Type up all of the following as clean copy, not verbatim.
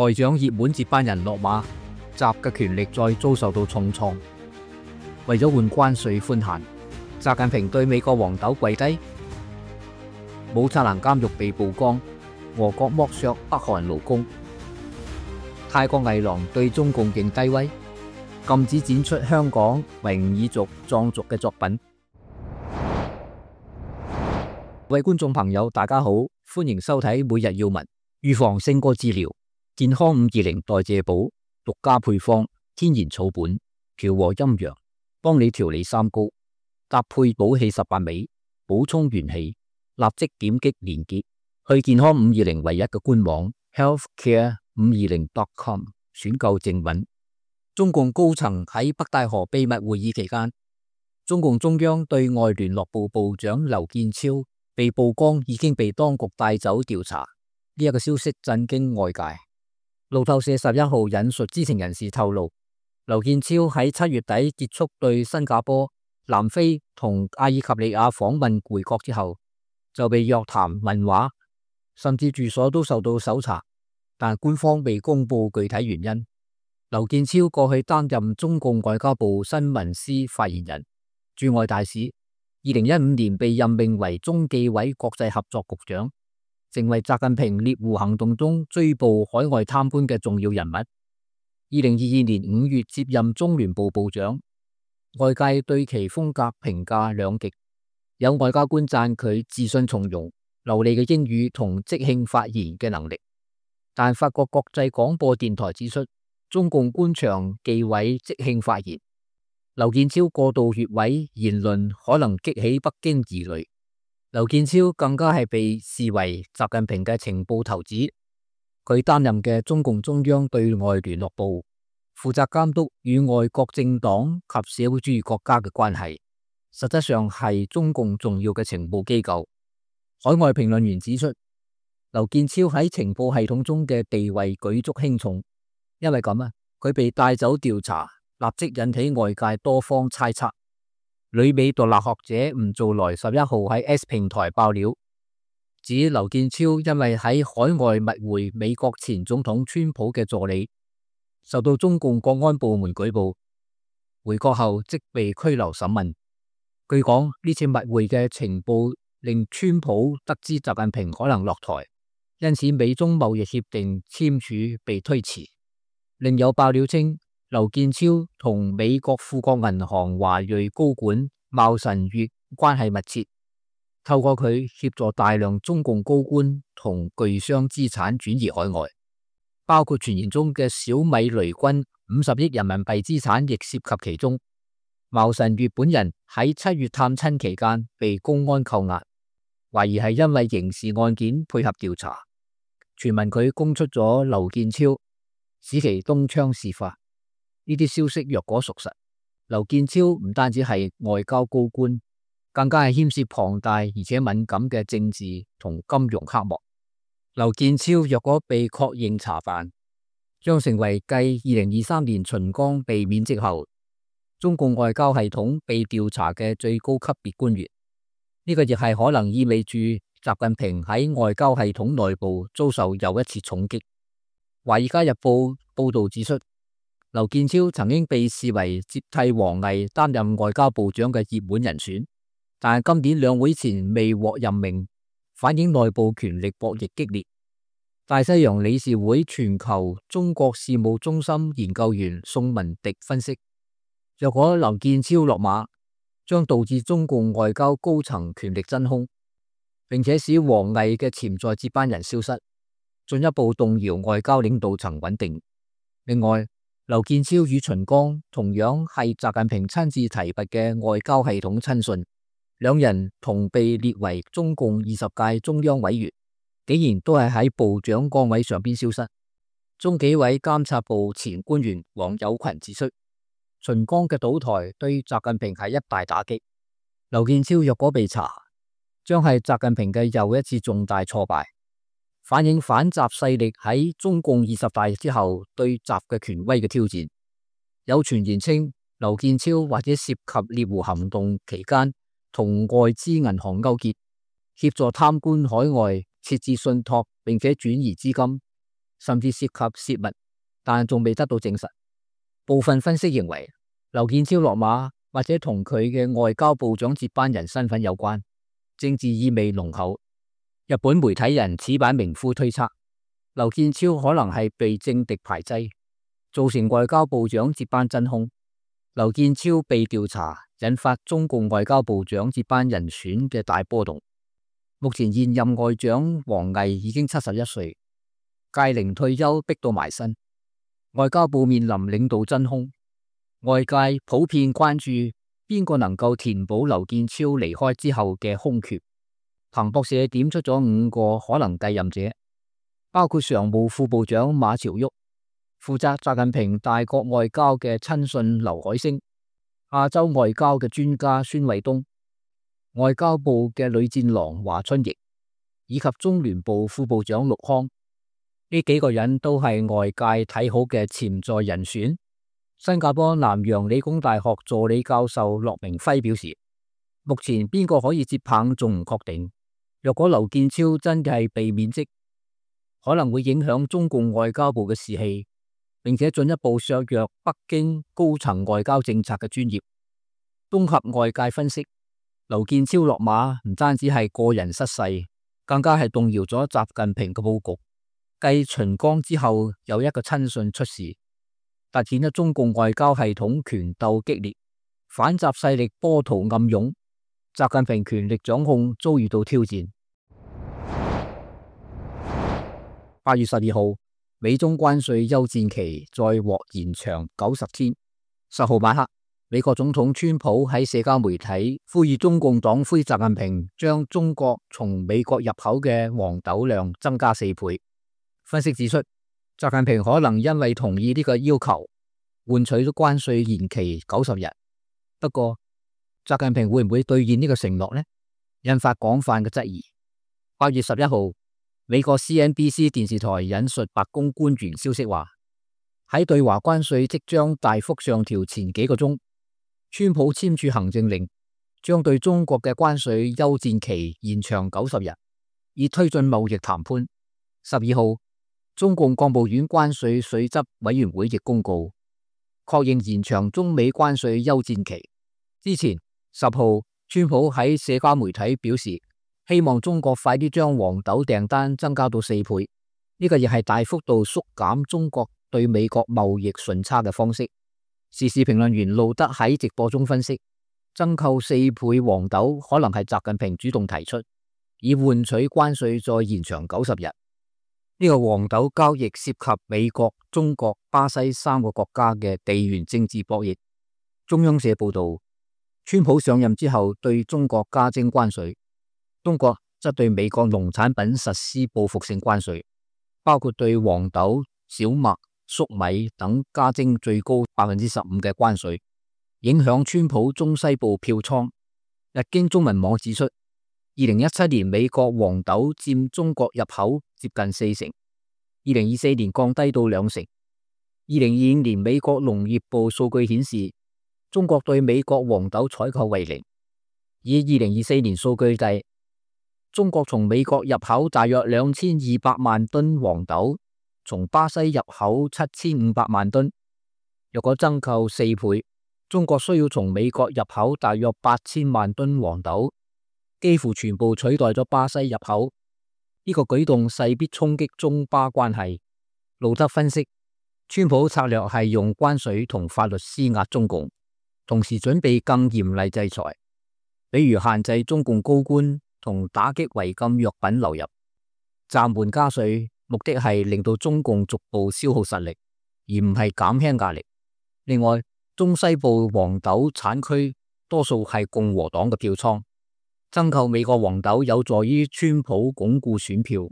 外長熱門接班人落馬，習嘅權力再遭受到重創。為咗換關稅寬限，習近平對美國黃豆跪低。武察蘭監獄被曝光，俄國剝削北韓勞工。泰國藝廊對中共認低威，禁止展出香港維吾爾族、藏族嘅作品。各位觀眾朋友，大家好，歡迎收睇每日要聞。預防勝過治療，健康520代謝寶，獨家配方，天然草本，調和陰陽，幫你調理三高，搭配補氣18味，補充元氣。立即點擊連結去健康520唯一嘅官網 healthcare520.com 選購正品。中共高層喺北戴河秘密會議期間，中共中央對外聯絡部部長劉建超被曝光已經被當局帶走調查，呢一個消息震驚外界。路透社11號引述知情人士透露，劉建超喺7月底結束對新加坡、南非同阿爾及利亞訪問回國之後，就被約談問話，甚至住所都受到搜查，但官方未公布具體原因。劉建超過去擔任中共外交部新聞司發言人、駐外大使，2015年被任命為中紀委國際合作局長，成為習近平獵狐行動中追捕海外貪官嘅重要人物。2022年5月接任中聯部部長，外界對其風格評價兩極。有外交官讚佢自信從容、流利嘅英語同即興發言嘅能力，但法國國際廣播電台指出，中共官場忌諱即興發言。劉建超過度越位言論可能激起北京疑慮。劉建超更加係被視為習近平嘅情報頭子，佢擔任嘅中共中央對外聯絡部，負責監督與外國政黨及社會主義國家嘅關係。實質上係中共重要嘅情報機構。海外評論員指出，劉建超喺情報系統中嘅地位舉足輕重，因為咁佢被帶走調查，立即引起外界多方猜測。旅美獨立學者吳造來11號喺 S 平台爆料，指劉建超因為喺海外密會美國前總統川普嘅助理，受到中共國安部門舉報，回國後即被拘留審問。據講，呢次密會嘅情報令川普得知習近平可能落台，因此美中貿易協定簽署被推遲。另有爆料稱，劉建超同美國富國銀行華裔高管茂臣悅關係密切，透過佢協助大量中共高官同巨商資產轉移海外，包括傳言中嘅小米雷軍50億人民幣資產亦涉及其中。茂臣悅本人喺7月探親期間被公安扣押，懷疑係因為刑事案件配合調查。傳聞佢供出咗劉建超，使其東窗事發。呢啲消息若果屬實，劉建超唔單止係外交高官，更加係牽涉龐大而且敏感嘅政治同金融黑幕。劉建超若果被確認查辦，將成為繼2023年秦剛被免職後，中共外交系統被調查嘅最高級別官員。呢個亦係可能意味住習近平喺外交系統內部遭受又一次重擊。華爾街日報報道指出，劉建超曾經被視為接替王毅擔任外交部長嘅熱門人選，但係今年兩會前未獲任命，反映內部權力博弈激烈。大西洋理事會全球中國事務中心研究員宋文迪分析，若果劉建超落馬，將導致中共外交高層權力真空，並且使王毅嘅潛在接班人消失，進一步動搖外交領導層穩定。另外，劉建超與秦剛同樣係習近平親自提拔嘅外交系統親信，兩人同被列為中共20屆中央委員，竟然都係喺部長崗位上邊消失。中紀委監察部前官員王友群指出，秦剛嘅倒台對習近平係一大打擊。劉建超若果被查，將係習近平嘅又一次重大挫敗，反映反習勢力喺中共20大之後對習嘅權威嘅挑戰。有傳言稱，劉建超或者涉及獵狐行動期間同外資銀行勾結，協助貪官海外設置信託並且轉移資金，甚至涉及泄密，但仲未得到證實。部分分析認為，劉建超落馬或者同佢嘅外交部長接班人身份有關，政治意味濃厚。日本媒體人矢板明夫推測，劉建超可能係被政敵排擠，造成外交部長接班真空。劉建超被調查，引發中共外交部長接班人選嘅大波動。目前現任外長王毅已經71歲，屆齡退休逼到埋身，外交部面臨領導真空。外界普遍關注邊個能夠填補劉建超離開之後嘅空缺。彭博社點出咗5個可能繼任者，包括常務副部長馬朝旭、負責習近平大國外交嘅親信劉海星、亞洲外交嘅專家孫衛東、外交部嘅女戰狼華春瑩，以及中聯部副部長陸康。呢幾個人都係外界睇好嘅潛在人選。新加坡南洋理工大學助理教授駱明輝表示，目前邊個可以接棒仲唔確定。若果劉建超真嘅係被免職，可能會影響中共外交部嘅士氣，並且進一步削弱北京高層外交政策嘅專業。綜合外界分析，劉建超落馬唔單止係個人失勢，更加係動搖咗習近平嘅佈局。繼秦剛之後，有一個親信出事，凸顯咗中共外交系統權鬥激烈，反習勢力波濤暗湧，習近平權力掌控遭遇到挑戰。8月12號，美中關稅休戰期再獲延長90天。10號晚黑，美國總統川普喺社交媒體呼籲中共黨魁習近平將中國從美國入口嘅黃豆量增加4倍。分析指出，習近平可能因為同意呢個要求，換取咗關稅延期90日。不過，習近平會唔會兌現呢個承諾呢？引發廣泛嘅質疑。8月11號，美國 CNBC 電視台引述白宮官員消息話，喺對華關稅即將大幅上調前幾個鐘，川普簽署行政令，將對中國嘅關稅休戰期延長90日，以推進貿易談判。12號，中共國務院關稅稅則委員會亦公告，確認延長中美關稅休戰期。之前10號，川普喺社交媒體表示，希望中國快啲將黃豆訂單增加到4倍，呢個亦係大幅度縮減中國對美國貿易順差嘅方式。時事評論員路德喺直播中分析，增購4倍黃豆可能係習近平主動提出，以換取關稅再延長90日。呢個黃豆交易涉及美國、中國、巴西3個國家嘅地緣政治博弈。中央社報道，川普上任之後對中國加徵關稅，中國則對美國農產品實施報復性關稅，包括對黃豆、小麥、粟米等加徵最高15%嘅關稅，影響川普中西部票倉。日經中文網指出，2017年美國黃豆佔中國入口接近4成，2024年降低到2成。2025年美國農業部數據顯示，中國對美國黃豆採購為0。以2024年數據計，中國從美國入口大約2200萬噸黃豆，從巴西入口7500萬噸。若果增購4倍，中國需要從美國入口大約8000萬噸黃豆，幾乎全部取代咗巴西入口。呢個舉動勢必衝擊中巴關係。路德分析，川普策略係用關稅同法律施壓中共，同時準備更嚴厲制裁，比如限制中共高官同打擊違禁藥品流入。暫緩加稅，目的係令到中共逐步消耗實力，而唔係減輕壓力。另外，中西部黃豆產區多數係共和黨嘅票倉，增購美國黃豆有助於川普鞏固選票。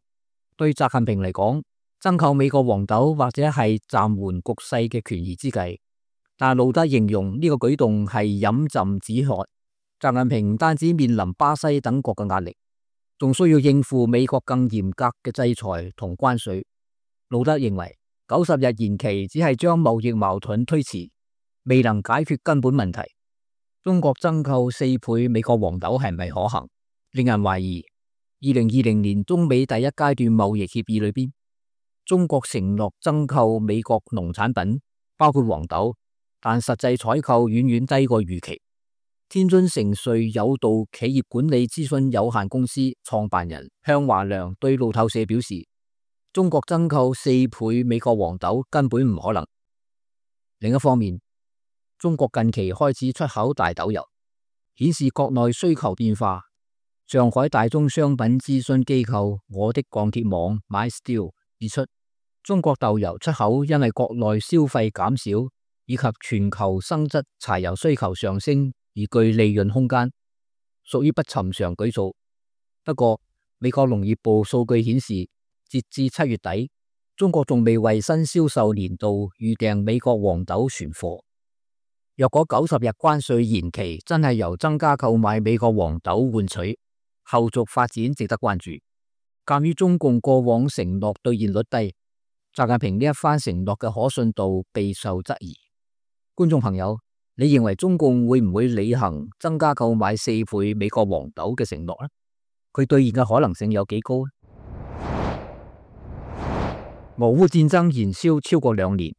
對習近平嚟講，增購美國黃豆或者係暫緩局勢嘅權宜之計，但路德形容呢個舉動係飲鴆止渴。習近平唔單止面臨巴西等國嘅壓力，仲需要應付美國更嚴格嘅制裁同關稅。路德認為90日延期只係將貿易矛盾推遲，未能解決根本問題。中國增購4倍美國黃豆係咪可行？令人懷疑。2020年中美第一階段貿易協議裏邊，中國承諾增購美國農產品，包括黃豆，但實際採購遠遠低過預期。天津成瑞有道企業管理諮詢有限公司創辦人向華良對路透社表示，中國增購4倍美國黃豆根本唔可能。另一方面，中國近期開始出口大豆油，顯示國內需求變化。上海大宗商品諮詢機構我的鋼鐵網 MySteel 指出，中國豆油出口因為國內消費減少以及全球生質柴油需求上升而具利潤空間，屬於不尋常舉措。不過，美國農業部數據顯示，截至7月底，中國仲未為新銷售年度預訂美國黃豆存貨。若果90日關稅延期真係由增加購買美國黃豆換取，後續發展值得關注。鑒於中共過往承諾兌現率低，習近平呢一番承諾嘅可信度備受質疑。觀眾朋友，你認為中共會唔會履行增加購買4倍美國黃豆嘅承諾呢？佢兌現嘅可能性有幾高呢？俄烏戰爭延燒超過2年，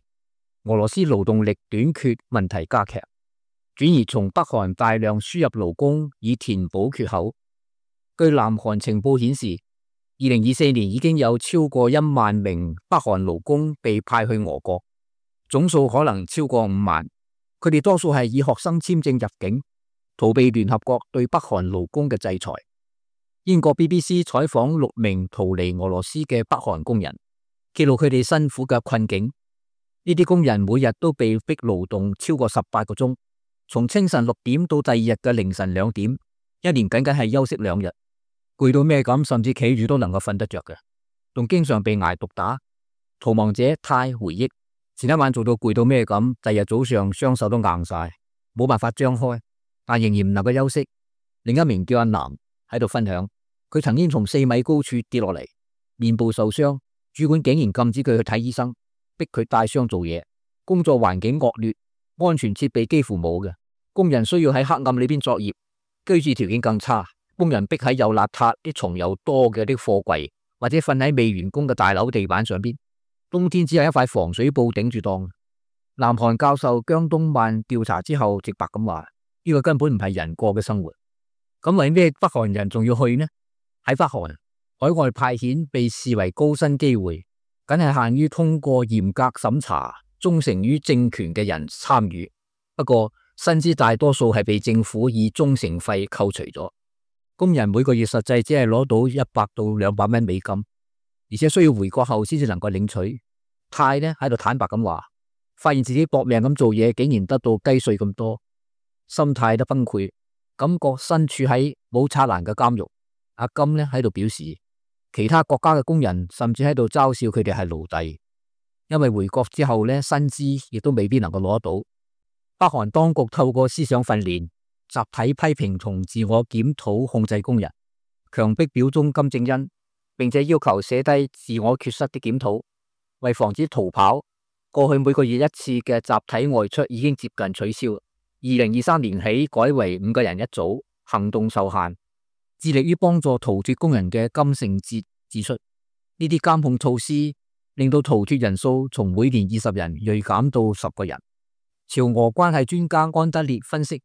俄羅斯勞動力短缺問題加劇，轉而從北韓大量輸入勞工以填補缺口。據南韓情報顯示，2024年已經有超過1萬名北韓勞工被派去俄國，總數可能超過5萬。佢哋多數係以學生簽證入境，逃避聯合國對北韓勞工嘅制裁。英國 BBC 採訪6名逃離俄羅斯嘅北韓工人，記錄佢哋辛苦嘅困境。呢啲工人每日都被逼勞動超過18個鐘，從清晨6點到第二日嘅凌晨2點，一年僅僅係休息2日。攰到咩咁，甚至企住都能夠瞓得着嘅，仲經常被挨毒打。逃亡者泰回憶，前一晚做到攰到咩咁，第二日早上雙手都硬晒，冇辦法張開，但仍然唔能夠休息。另一名叫阿南喺度分享，佢曾經從4米高處跌落嚟，面部受傷，主管竟然禁止佢去睇醫生，逼佢帶傷做嘢。工作環境惡劣，安全設備幾乎冇嘅，工人需要喺黑暗裏邊作業，居住條件更差。工人逼喺又邋遢、啲蟲又多嘅啲貨櫃，或者瞓喺未完工嘅大樓地板上邊。冬天只有一塊防水布頂住檔。南韓教授姜東萬調查之後直白咁話：呢個根本唔係人過嘅生活。咁為咩北韓人仲要去呢？喺北韓，海外派遣被視為高薪機會，僅係限於通過嚴格審查、忠誠於政權嘅人參與。不過薪資大多數係被政府以忠誠費扣除咗。工人每個月實際只係攞到100到200蚊美金，而且需要回國後先至能夠領取。泰呢喺度坦白咁話，發現自己搏命咁做嘢，竟然得到雞碎咁多，心態都崩潰，感覺身處喺冇柵欄嘅監獄。阿金呢喺度表示，其他國家嘅工人甚至喺度嘲笑佢哋係奴隸，因為回國之後呢，薪資亦都未必能夠攞得到。北韓當局透過思想訓練、集體批評同自我檢討控制工人，強迫表忠金正恩，並且要求寫低自我缺失的檢討。為防止逃跑，過去每個月1次嘅集體外出已經接近取消。2023年起改為5個人一組，行動受限。致力於幫助逃脫工人嘅金聖哲指出，呢啲監控措施令到逃脫人數從每年20人銳減到10個人。朝俄關係專家安德烈分析，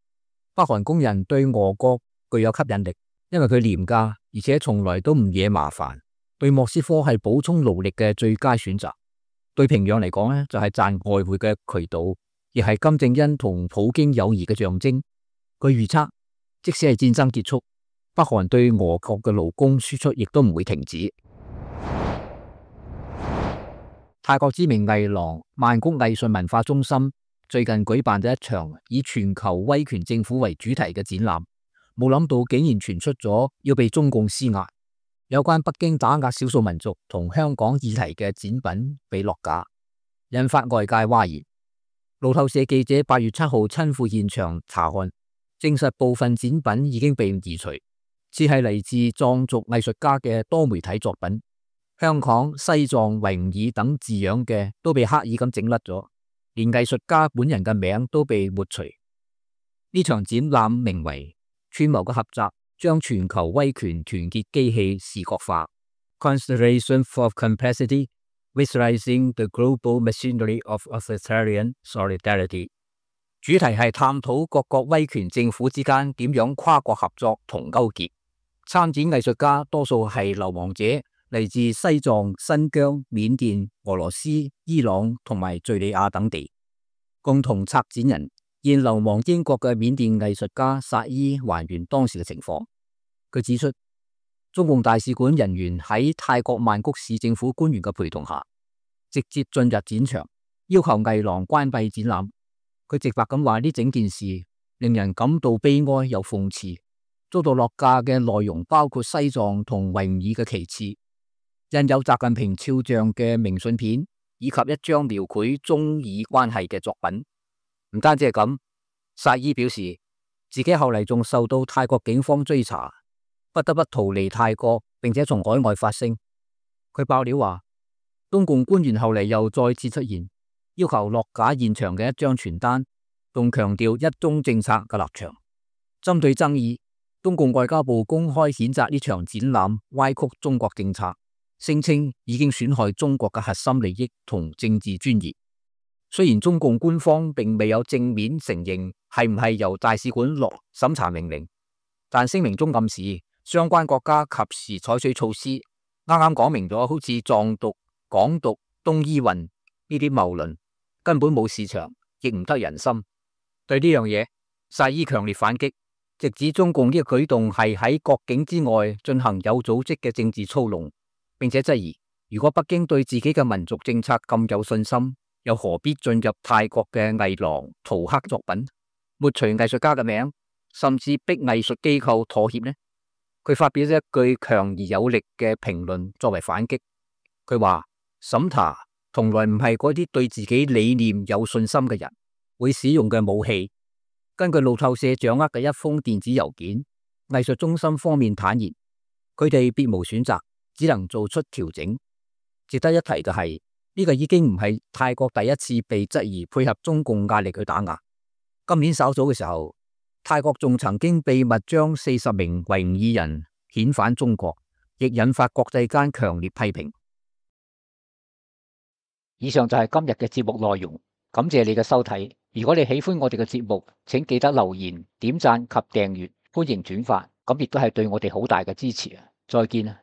北韓工人對俄國具有吸引力，因為佢廉價，而且從來都唔惹麻煩，對莫斯科係補充勞力嘅最佳選擇。對平壤嚟講呢，就係賺外匯嘅渠道，亦係金正恩同普京友誼嘅象徵。據預測，即使係戰爭結束，北韓對俄國嘅勞工輸出亦都唔會停止。泰國知名藝廊曼谷藝術文化中心最近舉辦咗一場以全球威權政府為主題嘅展覽，冇諗到竟然傳出咗要被中共施壓，有關北京打壓少數民族同香港議題嘅展品被落架，引發外界譁然。路透社記者8月7號親赴現場查看，證實部分展品已經被移除，只係嚟自藏族藝術家嘅多媒體作品，香港、西藏、維吾爾等字樣嘅都被刻意咁整甩咗，連藝術家本人嘅名都被抹除。呢場展覽名為串謀嘅合集，將全球威權團結機器視覺化 Constellation of Complexity， Visualizing the Global Machinery of Authoritarian Solidarity。主題係探討各國威權政府之間點樣跨國合作同勾結。參展藝術家多數係流亡者，嚟自西藏、新疆、緬甸、俄羅斯、伊朗同埋敘利亞等地。共同策展人現流亡英國嘅緬甸藝術家薩伊還原當時嘅情況。佢指出，中共大使館人員喺泰國曼谷市政府官員嘅陪同下，直接進入展場，要求藝廊關閉展覽。佢直白咁話，呢整件事令人感到悲哀又諷刺。遭到落架嘅內容包括西藏同維吾爾嘅旗幟、印有習近平肖像嘅明信片，以及一張描繪中以關係嘅作品。唔單止係咁，薩伊表示自己後嚟仲受到泰國警方追查，不得不逃離泰國，並且從海外發聲。佢爆料話，中共官員後嚟又再次出現，要求落架現場嘅一張傳單，仲強調一中政策嘅立場。針對爭議，中共外交部公開譴責呢場展覽歪曲中國政策，聲稱已經損害中國嘅核心利益同政治尊嚴。雖然中共官方並未有正面承認係唔係由大使館落審查命令，但聲明中暗示相關國家及時採取措施。啱啱講明咗，好似藏獨、港獨、東伊運呢啲謬論根本冇市場，亦唔得人心。對呢樣嘢，薩伊強烈反擊，直指中共呢個舉動係喺國境之外進行有組織嘅政治操弄，並且質疑，如果北京對自己嘅民族政策咁有信心，又何必進入泰國嘅藝廊塗黑作品，抹除藝術家嘅名，甚至逼藝術機構妥協呢？佢發表咗一句強而有力嘅評論作為反擊。佢話，審查從來唔係嗰啲對自己理念有信心嘅人會使用嘅武器。根據路透社掌握嘅一封電子郵件，藝術中心方面坦言，佢哋別無選擇，只能做出調整。值得一提嘅係，呢個已經唔係泰國第一次被質疑配合中共壓力去打壓。今年稍早嘅時候，泰國仲曾經秘密將40名維吾爾人遣返中國，亦引發國際間強烈批評。以上就係今日嘅節目內容，感謝你嘅收睇。如果你喜歡我哋嘅節目，請記得留言、點讚及訂閱，歡迎轉發，咁亦都係對我哋好大嘅支持啊！再見啊！